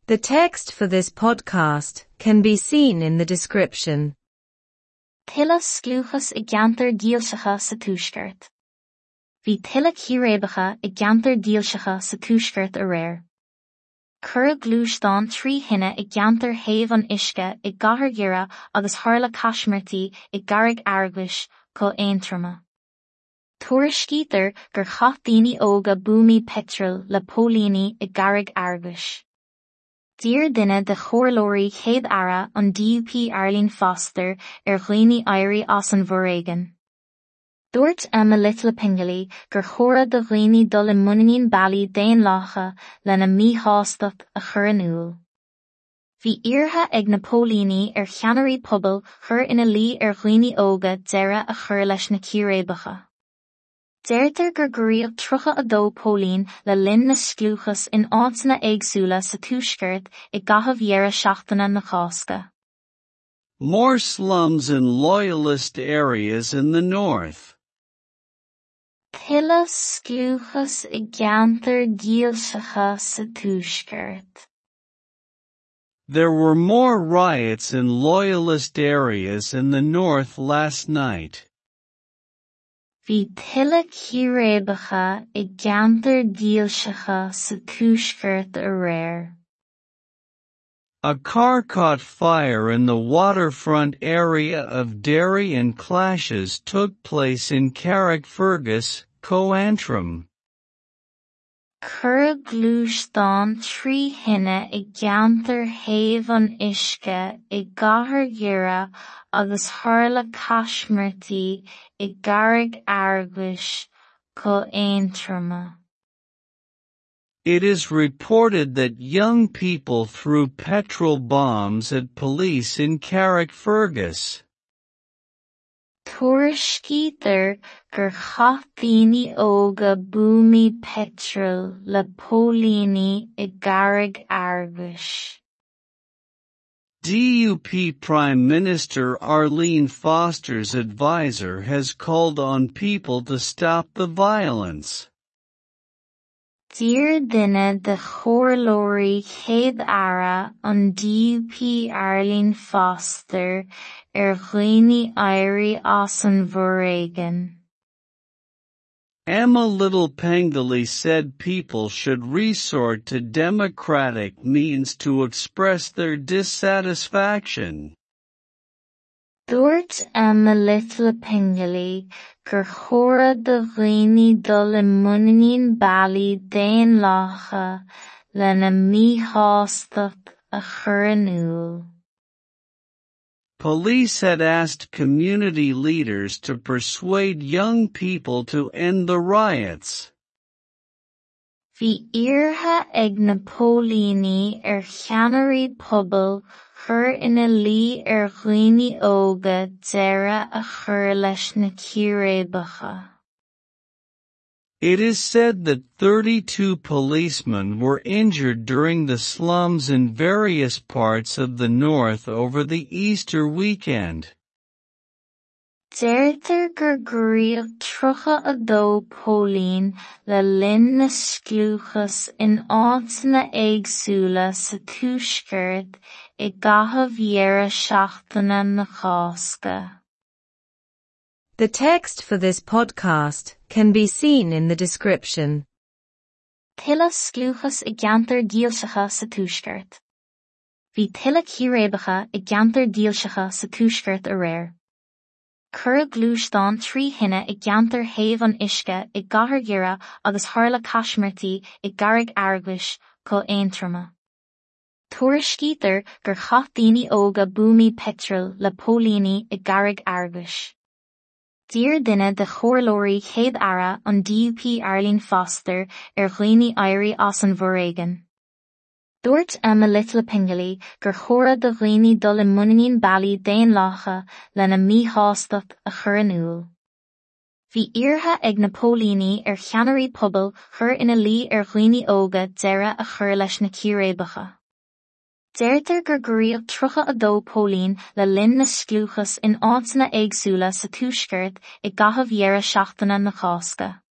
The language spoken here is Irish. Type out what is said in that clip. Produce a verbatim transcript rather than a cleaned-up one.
The text for this podcast can be seen in the description. Tuilleadh scliúchas i gceantair dhílseacha sa Tuaisceart. Bhí tuilleadh círéibeacha i gceantair dhílseacha sa Tuaisceart aréir. Cuireadh gluaisteán trí thine i gceantar Thaobh an Uisce i gCathair Dhoire agus tharla caismirtí i gCarraig Fhearghuis, Co Aontroma. Tuairiscítear gur chaith daoine óga buamaí peitril le póilíní i gCarraig Fhearghuis. D'iarr duine de chomhairleoirí Chéad-Aire an DUP Arlene Foster ar dhaoine éirí as an bhforéigean. Dúirt Emma Little gur chóir do dhaoine dul i muinín bealaí daonlathacha lena míshástacht a chur in iúl. Bhí iarrtha ag na póilíní ar cheannairí pobail cur ina luí ar dhaoine óga deireadh a chur leis na círéibeacha. Deirtear gur gortaíodh tríocha a dó póilín le linn na scliúchas in áiteanna éagsúla sa Tuaisceart i gcaitheamh dheireadh seachtaine na Cásca. More slums in loyalist areas in the north. Tuilleadh scliúchas i gceantair dhílseacha sa Tuaisceart. There were more riots in loyalist areas in the north last night. Bhí tuilleadh círéibeacha i gceantair dhílseacha sa Tuaisceart aréir. A car caught fire in the waterfront area of Derry and clashes took place in Carrickfergus, Co Antrim. Cuireadh gluaisteán trí thine i gceantar Thaobh an Uisce i gCathair Dhoire agus tharla caismirtí i gCarraig Fhearghuis, Co Aontroma. It is reported that young people threw petrol bombs at police in Carrickfergus. Tuairiscítear gur chaith daoine óga buamaí peitril le póilíní i gCarraig Fhearghuis. DUP Prime Minister Arlene Foster's advisor has called on people to stop the violence. D'iarr duine de chomhairleoirí Chéad-Aire an DUP Arlene Foster ar dhaoine éirí as an bhforéigean. Emma Little Pengelly said people should resort to democratic means to express their dissatisfaction. Dúirt Emma Little Pengelly gur chóir do dhaoine dul i muinín bealaí daonlathacha lena míshástacht a chur in iúl. Police had asked community leaders to persuade young people to end the riots. Bhí iarrtha ag na póilíní ar cheannairí pobail cur ina luí ar dhaoine óga deireadh a chur leis na círéibeacha. It is said that thirty-two policemen were injured during the slums in various parts of the north over the Easter weekend. Deirtear gur gortaíodh tríocha a dó póilín le linn na scliúchas in áiteanna éagsúla sa Tuaisceart i gcaitheamh dheireadh seachtaine na Cásca. The text for this podcast can be seen in the description. Tuilleadh scliúchas i gceantair dhílseacha sa Tuaisceart. Bhí tuilleadh círéibeacha i gceantair dhílseacha sa Tuaisceart aréir. Cuireadh gluaisteán trí thine i gceantar Thaobh an Uisce i gCathair Dhoire agus tharla caismirtí i gCarraig Fhearghuis, Co Aontroma. Tuairiscítear gur chaith daoine óga buamaí peitril le póilíní i gCarraig Fhearghuis. D'iarr duine de chomhairleoirí Chéad-Aire an DUP Arlene Foster ar dhaoine éirí as an bhforéigean. Dúirt Emma Little Pengelly gur chóir do dhaoine dul i muinín bealaí daonlathacha lena míshástacht a chur in iúl. Bhí iarrtha ag na póilíní ar cheannairí pobail cur ina luí ar dhaoine óga deireadh a chur leis na círéibeacha. Deirtear gur gortaíodh tríocha a dó póilín le linn na scliúchas in áiteanna éagsúla sa Tuaisceart i gcaitheamh dheireadh seachtaine na Cásca.